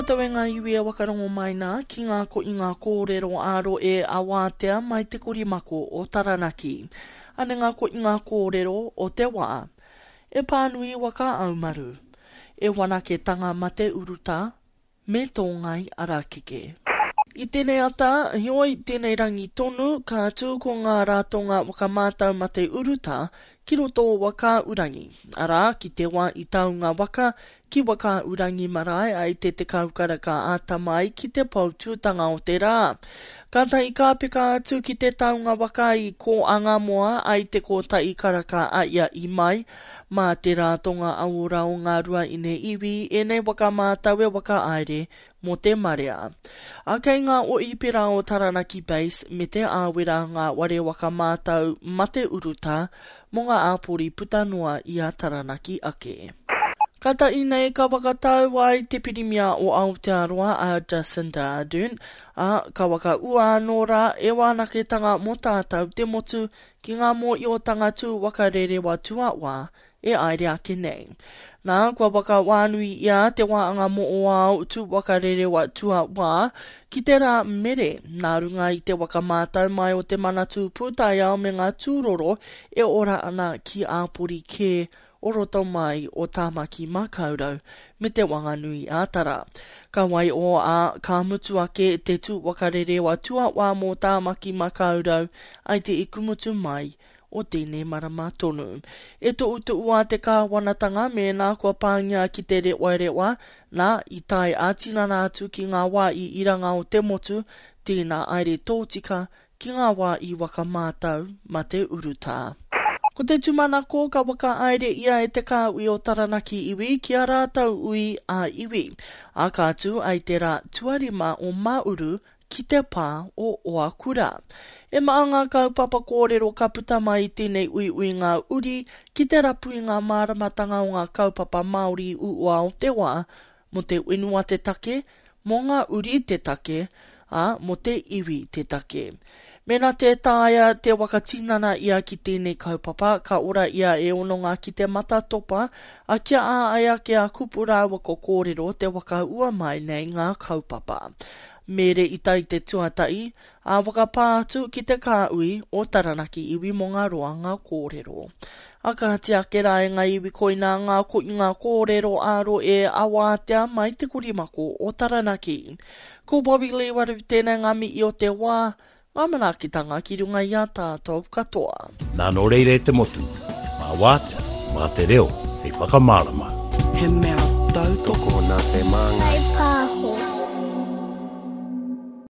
koutou e ngā iwi e wakarongo mai nā ki ngā ko i ngā kōrero ā-roe ā-wātea mai te korimako o Taranaki. Ane ngā ko i ngā kōrero o te wā. E pānui waka aumaru. E wanaketanga mate urutā me tō ngai arakeke. I tēnei ata, heoi, tēnei rangi tonu, ka tū ko ngā ratonga whakamātau mate urutā ki roto o Wakaaurangi, arā, ki te wā i taunga waka ki Wakaaurangi marae ai te 10 karaka āta mai ki te poutūtanga o te rā. Kātahi ka peka atu ki te taunga waka i Kōangamoa ai te kōtahi karaka a ia i mai, mā te ratonga auora o Ngā Ruaine Iwi ēnei waka mātau e whakahaere mō te marea. A kei ngā oipera o Taranaki Base me Te Āwera ngā ware waka mātau mate urutā mō ngā āpori puta noa i a Taranaki ake. Kātahi nei ka whakatau ai te Pirimia o Aotearoa a Jacinda Ardern, ā, ka whakaua anō rā e wānaketanga mō tātau te motu ki ngā mōiotanga tū waka rerewa tuawā e aere ake nei. Nā, kua whakawānui ia te wāanga moʻoao tū waka rerewa tuawā ki te rā mere, nā runga i te waka mātau mai o te Manatū Pūtaiao me ngā tūroro e ora ana ki āpori kē o roto mai o Tāmaki Makaurau me Te Wanganui-ā-Tara. Ka waiō ā, ka mutu ake te tū waka rerewa tuawā mō Tāmaki Makaurau ai te ikumutu mai o tēnei marama tonu. E tohutohu a te kāwanatanga mēnā kua pāngia ki te rewarewa, nā, i tae ā-tinana atu ki ngā wā i iranga o te motu, tēnā aere tōtika ki ngā wā i waka mātau ma te urutā. Ko te tūmanako ka whakahaere ia e te kāhui o Taranaki iwi ki a rātou ui ā-iwi, ā ka tū ai te rā tuarima o Māuru ki te pā o Oakura. E maha ngā kaupapa kōrero ka puta mai i tēnei uiuinga uri ki te rapu i ngā māramatanga o ngā kaupapa Māori uua o te wā, mō te whenua te take, mō ngā uri te take, ā, mō te iwi te take. Mēnā tē taea te whakatinana ia ki tēnei kaupapa, ka ora ia e hononga ki te matatopa, a kia āai ake a kupu rāua ko kōrero te whakaua mai nei ngā kaupapa. Mere i tai te tuatahi, ā whakapā atu ki te kāhui o Taranaki iwi mō ngā roanga kōrero. A kāti ake rā e ngā iwi koinā ngā koinga kōrero ā-rohe a wātea mai te korimako o Taranaki. Ko Bobby Lee Waru tēnei ngā mihi o te wā, ngā manaakitanga ki runga i a tātou katoa. Nā nō reira e te motu, mā Wātea, mā te reo hei whakamārama. He mea tautoko. Tokona te māngai.